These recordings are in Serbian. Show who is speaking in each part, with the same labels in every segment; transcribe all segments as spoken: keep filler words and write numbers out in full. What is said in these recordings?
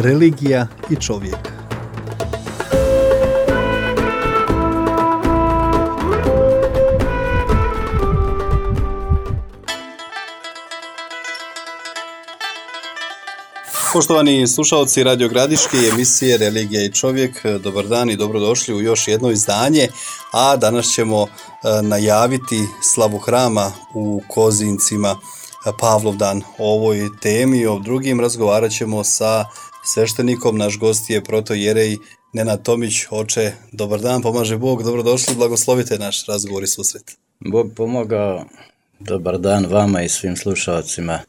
Speaker 1: religija i čovjek. Poštovani slušalci Radio Gradiške i emisije Religija i čovjek, dobar dan i dobrodošli u još jedno izdanje, a danas ćemo najaviti slavu hrama u Kozincima, Pavlovdan. O ovoj temi i o drugim razgovarat ćemo sa sveštenikom. Naš gost je protoijerej Nenad Tomić. Oče, dobar dan, pomaže Bog, dobrodošli, blagoslovite naš razgovor i susret.
Speaker 2: Bog pomogao, dobar dan vama i svim slušalcima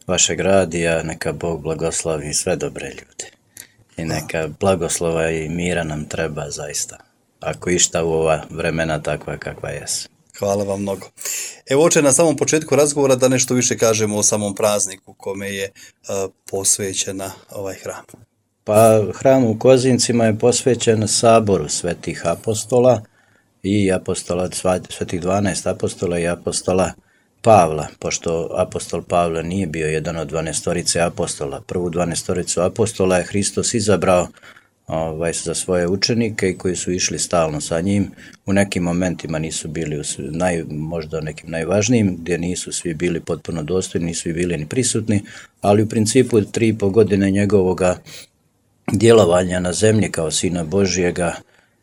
Speaker 2: vašeg radija, neka Bog blagoslovi sve dobre ljude i neka blagoslova i mira nam treba zaista, ako išta u ova vremena takva kakva jesu.
Speaker 1: Hvala vam mnogo. Evo, oče, na samom početku razgovora da nešto više kažemo o samom prazniku kome je uh, posvećena ovaj hram.
Speaker 2: Pa hram u Kozincima je posvećen saboru svetih apostola i apostola, svetih dvanaest apostola i apostola Pavla, pošto apostol Pavle nije bio jedan od dvanaestorice apostola. Prvu dvanaestoricu apostola je Hristos izabrao ovaj, za svoje učenike i koji su išli stalno sa njim. U nekim momentima nisu bili, u, naj, možda nekim najvažnijim, gdje nisu svi bili potpuno dostojni, nisu svi bili ni prisutni, ali u principu tri i po godine njegovoga djelovanja na zemlji kao Sina Božjega,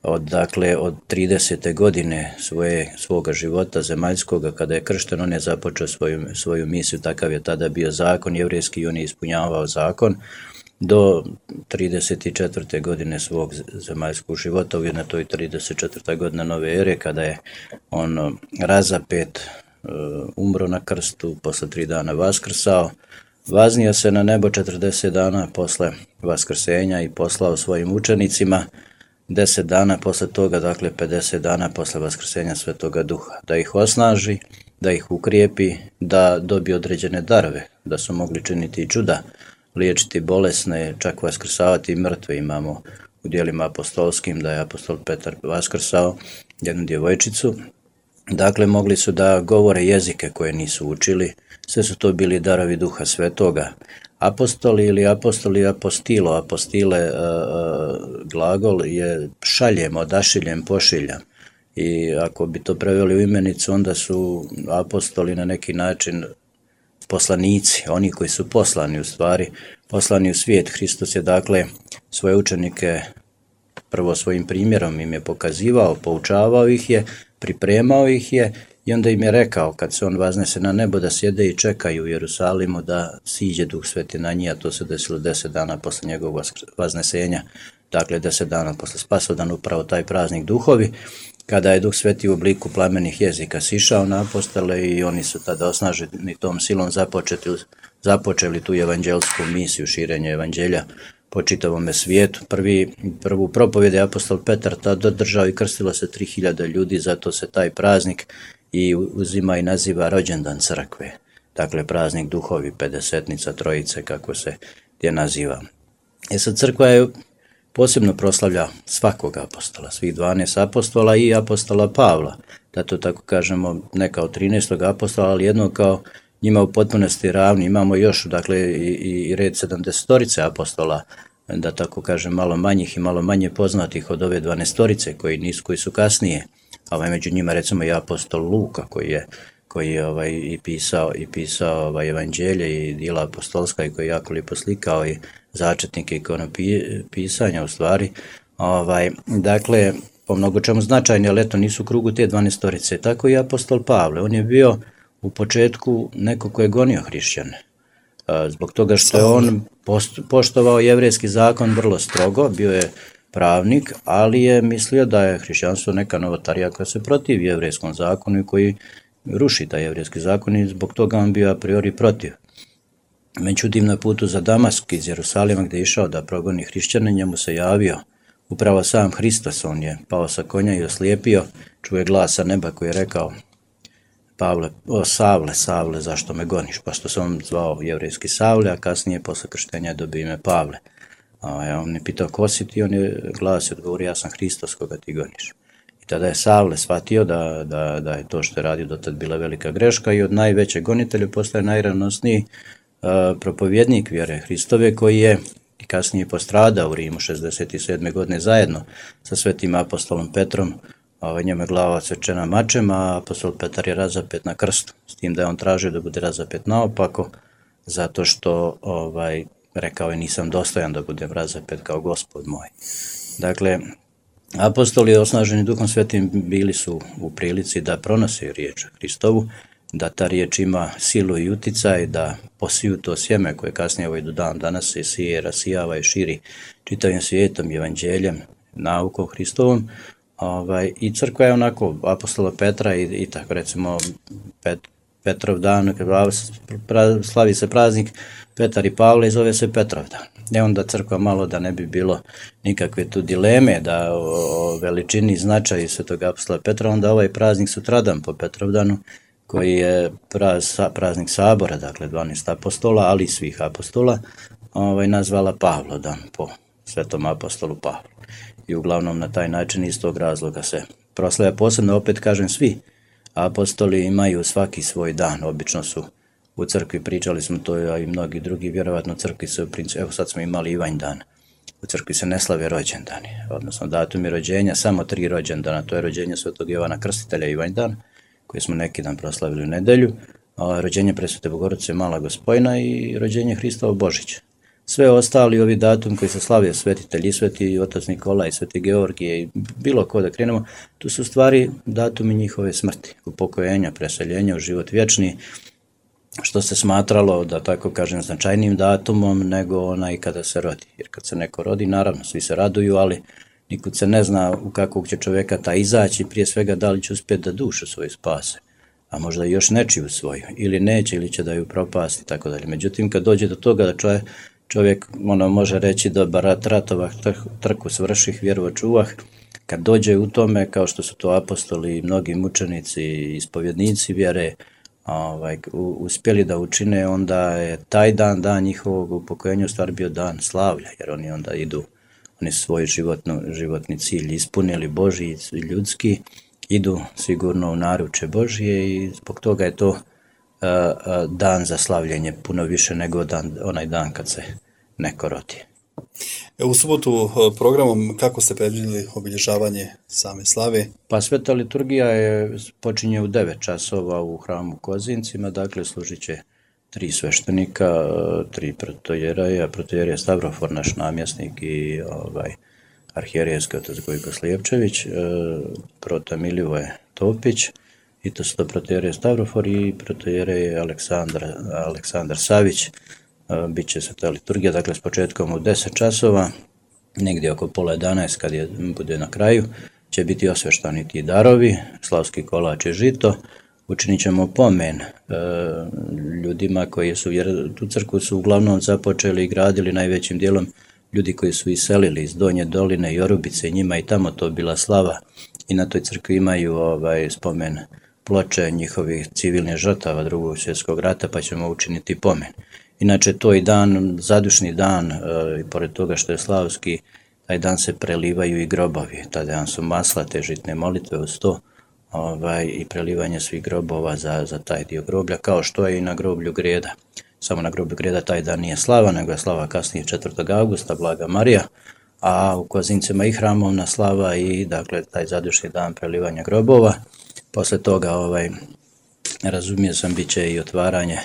Speaker 2: Od, dakle, od tridesete godine svoje, svoga života zemaljskoga, kada je kršten, on je započeo svoju, svoju misiju, takav je tada bio zakon jevrejski i on je ispunjavao zakon, do trideset četvrte godine svog zemaljskog života, ujedno to i trideset četvrta godina nove ere, kada je on razapet, umro na krstu, posle tri dana vaskrsao, vaznio se na nebo četrdeset dana posle vaskrsenja i poslao svojim učenicima deset dana posle toga, dakle pedeset dana posle vaskrsenja Svetoga Duha, da ih osnaži, da ih ukrijepi, da dobiju određene darove, da su mogli činiti i čuda, liječiti bolesne, čak vaskrsavati mrtve. Imamo u djelima apostolskim da je apostol Petar vaskrsao jednu djevojčicu. Dakle, mogli su da govore jezike koje nisu učili, sve su to bili darovi Duha Svetoga. Apostoli ili apostoli, apostilo, apostile, e, e, glagol je šaljem, odašiljem, pošiljam. I ako bi to preveli u imenicu, onda su apostoli na neki način poslanici, oni koji su poslani u stvari, poslani u svijet. Hristos je dakle svoje učenike prvo svojim primjerom im je pokazivao, poučavao ih je, pripremao ih je i onda im je rekao kad se on vaznese na nebo da sjede i čekaju u Jerusalimu da siđe Duh Sveti na njih, a to se desilo deset dana posle njegovog vaznesenja, dakle deset dana posle Spasodan, upravo taj praznik duhovi, kada je Duh Sveti u obliku plamenih jezika sišao na apostole i oni su tada osnaženi tom silom započeli, započeli tu evanđelsku misiju, širenje evanđelja po čitavome svijetu. Prvi, prvu propovjed je apostol Petar tada držao i krstilo se tri hiljade ljudi, zato se taj praznik i uzima i naziva rođendan crkve. Dakle, praznik duhovi, pedesetnica, trojice, kako se je naziva. E sad, crkva je posebno proslavlja svakog apostola, svih dvanaest apostola i apostola Pavla, da to tako kažemo, ne kao trinaestog apostola, ali jedno kao njima u potpunosti ravni. Imamo još, dakle, i, i red sedamdesetorice apostola, da tako kažem, malo manjih i malo manje poznatih od ove dvanaestorice koji nisu, koji su kasnije. Ovaj, među njima recimo i apostol Luka koji je, koji je ovaj, i pisao, i pisao ovaj, evanđelje i djela apostolska i koji je jako lijepo slikao i začetnike ikonopisanja u stvari. Ovaj, dakle, po mnogo čemu značajni, ali eto nisu u krugu te dvanaestorice. Tako i apostol Pavle, on je bio u početku neko ko je gonio hrišćane. Zbog toga što je on poštovao jevrejski zakon vrlo strogo, bio je pravnik, ali je mislio da je hrišćanstvo neka novotarija koja se protivi jevrejskom zakonu i koji ruši taj jevrejski zakon i zbog toga on bio a priori protiv. Međutim, na putu za Damask iz Jerusalima gdje je išao da progoni hrišćane, njemu se javio upravo sam Hristos. On je pao sa konja i oslijepio, čuje glas sa neba koji je rekao: Pavle, o Savle, Savle, zašto me goniš? Pa što se on zvao jevrejski Savle, a kasnije posle krštenja je dobio ime Pavle. A on je pitao ko si ti, on je glas odgovorio: ja sam Hristos koga ti goniš. I tada je Savle shvatio da, da, da je to što je radio dotad bila velika greška i od najvećeg gonitelja postaje najravnosniji uh, propovjednik vjere Hristove, koji je i kasnije postradao u Rimu šezdeset sedme godine zajedno sa svetim apostolom Petrom. Ovaj, njemu je glava odsečena mačem, a apostol Petar je razapet na krstu, s tim da je on tražio da bude razapet naopako, zato što ovaj, rekao je nisam dostojan da budem razapet kao Gospod moj. Dakle, apostoli osnaženi Duhom Svetim bili su u prilici da pronose riječ Hristovu, da ta riječ ima silu i uticaj, da posiju to sjeme koje kasnije ovaj do dan danas se sije, rasijava i širi čitavim svijetom, evanđeljem, naukom Hristovom. Ovaj, I crkva je onako apostola Petra i, i tako recimo Pet, Petrov dan, pra, slavi se praznik Petar i Pavle i zove se Petrov dan. E onda crkva malo da ne bi bilo nikakve tu dileme da o, o veličini značaju svetog apostola Petra, onda ovaj praznik sutradan po Petrovdanu koji je praz, praznik sabora, dakle dvanaest apostola, ali i svih apostola, ovaj, nazvala Pavlodan po svetom apostolu Pavlu. I uglavnom na taj način iz tog razloga se proslavlja. Posebno, opet kažem, svi apostoli imaju svaki svoj dan. Obično su u crkvi, pričali smo to, a i mnogi drugi, vjerovatno u crkvi se, evo sad smo imali Ivanj dan, u crkvi se ne slave rođendani, odnosno datumi rođenja, samo tri rođendana, to je rođenje svetog Jovana Krstitelja Ivanj dan, koji smo neki dan proslavili u nedelju, a rođenje Presvete Bogorodice Mala Gospojna i rođenje Hristova Božića. Sve ostali ovi datum koji se slavio, svetitelj i sveti otac Nikola i sveti Georgije i bilo ko da krenemo, tu su stvari datumi njihove smrti, upokojenja, preseljenja u život vječni, što se smatralo, da tako kažem, značajnijim datumom nego onaj kada se rodi. Jer kad se neko rodi, naravno, svi se raduju, ali nikud se ne zna u kakvog će čovjeka ta izaći, prije svega da li će uspjeti da dušu svoju spase, a možda i još nečiju svoju, ili neće, ili će da ju propasti, tako dalje. Međutim, kad dođe do toga da čovjek, čovjek ono, može reći dobar rat ratovah, trku svrših, vjeru očuvah, kad dođe u tome, kao što su to apostoli i mnogi mučenici i ispovjednici vjere, Ovaj, uspjeli da učine, onda je taj dan, dan njihovog upokojenja u stvari bio dan slavlja, jer oni onda idu, oni svoj životno, životni cilj ispunili, Božji i ljudski, idu sigurno u naruče Božje i zbog toga je to uh, uh, dan za slavljenje puno više nego dan, onaj dan kad se neko rodi.
Speaker 1: U subotu programom kako ste predvidjeli obilježavanje same slave?
Speaker 2: Pa sveta liturgija je počinje u devet časova u hramu u Kozincima, dakle služit će tri sveštenika, tri protojeraja, protojerija Stavrofor, naš namjesnik i ovaj, arhijerejski otac Gojko Slijepčević, prota Milivoje Topić, i to su to protojerija Stavrofor i protojerej Aleksandar, Aleksandar Savić. Biće se ta liturgija, dakle s početkom u deset časova, negdje oko pola jedanaest kad je, bude na kraju, će biti osveštani ti darovi, slavski kolač i žito. Učinit ćemo pomen e, ljudima koji su, jer tu crkvu su uglavnom započeli i gradili najvećim dijelom ljudi koji su iselili iz Donje doline i Orubice, njima i tamo to bila slava i na toj crkvi imaju ovaj spomen ploče njihovih civilnih žrtava Drugog svjetskog rata, pa ćemo učiniti pomen. Inače, to je dan, zadušni dan, e, i pored toga što je slavski, taj dan se prelivaju i grobovi. Taj dan su maslate, žitne molitve uz to, ovaj, i prelivanje svih grobova za, za taj dio groblja, kao što je i na groblju Greda. Samo na groblju Greda taj dan nije slava, nego je slava kasnije četvrtog augusta, Blaga Marija, a u Kozincima i hramovna slava i, dakle, taj zadušni dan prelivanja grobova. Posle toga, ovaj, razumio sam, bit će i otvaranje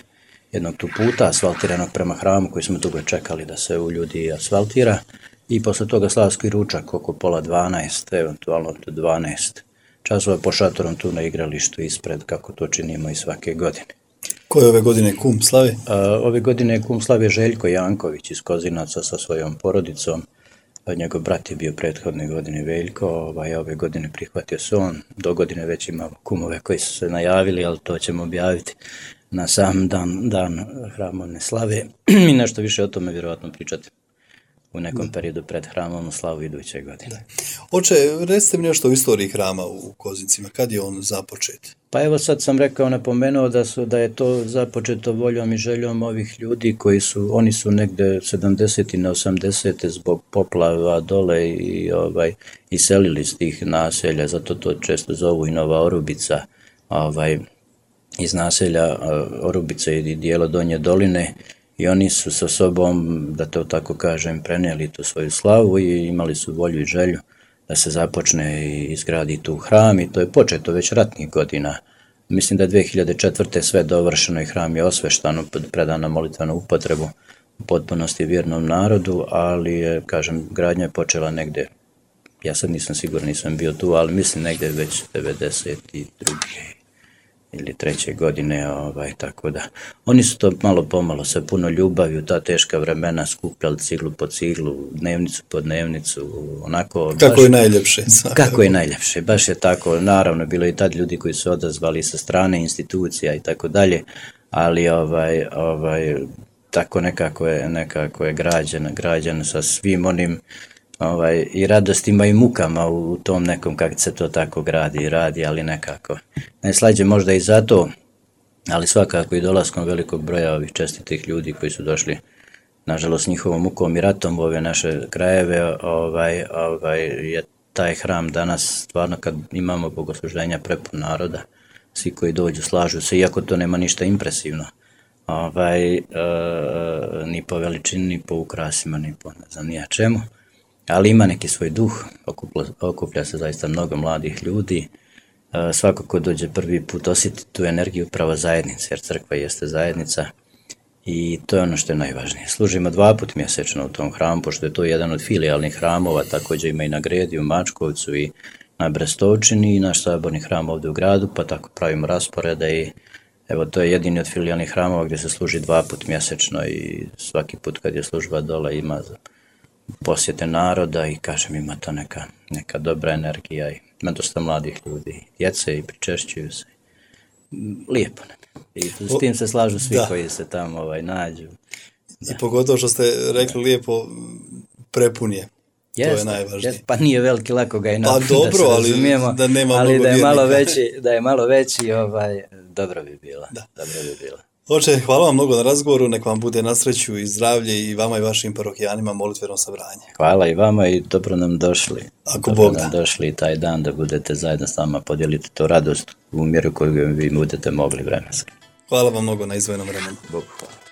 Speaker 2: jednog tu puta asfaltiranog prema hramu koji smo dugo čekali da se u ljudi asfaltira i posle toga slavski ručak oko pola dvanaest, eventualno do dvanaest časova po šatorom tu na igralištu ispred, kako to činimo i svake godine.
Speaker 1: Ko je ove godine kum slave?
Speaker 2: A, ove godine je kum slave Željko Janković iz Kozinaca sa svojom porodicom. A njegov brat je bio prethodne godine Veljko, ovaj, ove godine prihvatio se on. Do godine već imamo kumove koji su se najavili, ali to ćemo objaviti na sam dan, dan hramovne slave i nešto više o tome vjerojatno pričati u nekom periodu pred hramovnu slavu iduće godine.
Speaker 1: Oče, recite mi nešto o istoriji hrama u Kozincima, kad je on započet?
Speaker 2: Pa evo sad sam rekao, napomenuo da su da je to započeto voljom i željom ovih ljudi koji su, oni su negde sedamdesete i osamdesete zbog poplava dole i ovaj iselili iz tih naselja, zato to često zovu i Nova Orubica, ovaj iz naselja Orubice i dijela Donje doline i oni su sa sobom, da to tako kažem, prenijeli tu svoju slavu i imali su volju i želju da se započne i izgradi tu hram i to je početo već ratnih godina. Mislim da je dve hiljade četvrte sve dovršeno i hram je osveštano, predan na molitvenu upotrebu u potpunosti vjernom narodu, ali je, kažem, gradnja je počela negde, ja sad nisam siguran, nisam bio tu, ali mislim negde već devedeset druge ili treće godine, ovaj, tako da. Oni su to malo pomalo sa puno ljubavi u ta teška vremena skupljali ciglu po ciglu, dnevnicu po dnevnicu, onako.
Speaker 1: Kako
Speaker 2: baš,
Speaker 1: je najljepše.
Speaker 2: Kako je najljepše, baš je tako, naravno, bilo i tad ljudi koji su odazvali sa strane institucija i tako dalje, ali ovaj, ovaj, tako nekako je, nekako je građen, građen sa svim onim Ovaj, i radostima i mukama u tom nekom kako se to tako gradi i radi, ali nekako. Najslađe možda i zato, ali svakako i dolaskom velikog broja ovih čestitih ljudi koji su došli, nažalost, njihovom mukom i ratom u ove naše krajeve, ovaj, ovaj, je taj hram danas, stvarno kad imamo bogosluženja prepun naroda, svi koji dođu slažu se, iako to nema ništa impresivno, ovaj, e, ni po veličini, ni po ukrasima, ni po ne znam nija čemu. Ali ima neki svoj duh, okuplja, okuplja se zaista mnogo mladih ljudi, e, svako ko dođe prvi put osjeti tu energiju pravo zajednice, jer crkva jeste zajednica i to je ono što je najvažnije. Služimo dva put mjesečno u tom hramu, pošto je to jedan od filijalnih hramova, također ima i na Gredi, u Mačkovcu i na Brestovčini i naš saborni hram ovdje u gradu, pa tako pravimo rasporede i evo to je jedini od filijalnih hramova gdje se služi dva put mjesečno i svaki put kad je služba dole ima za posjete naroda i kažem ima to neka, neka dobra energija i ima dosta mladih ljudi, djece i pričešćuju se. Lijepo nam. I s tim se slažu svi da. Koji se tamo ovaj, nađu.
Speaker 1: Da. I pogotovo što ste rekli lijepo, prepun je.
Speaker 2: Jest,
Speaker 1: to je najvažnije. Jest,
Speaker 2: pa nije veliki, lako ga i napuniti,
Speaker 1: pa dobro,
Speaker 2: da
Speaker 1: ali da nema
Speaker 2: ali
Speaker 1: mnogo
Speaker 2: da je
Speaker 1: vjernika.
Speaker 2: malo veći, da je malo veći, ovaj, dobro bi bilo. Da. Dobro bi bilo.
Speaker 1: Oče, hvala vam mnogo na razgovoru, nek vam bude na sreću i zdravlje i vama i vašim parohijanima molitveno sabranje.
Speaker 2: Hvala i vama i dobro nam došli.
Speaker 1: Ako
Speaker 2: dobro
Speaker 1: Bog
Speaker 2: nam
Speaker 1: da.
Speaker 2: došli taj dan da budete zajedno s nama, podijelite to radost u mjeru koju vi budete mogli vremenski.
Speaker 1: Hvala vam mnogo na izdvojenom vremenu.
Speaker 2: Bog hvala.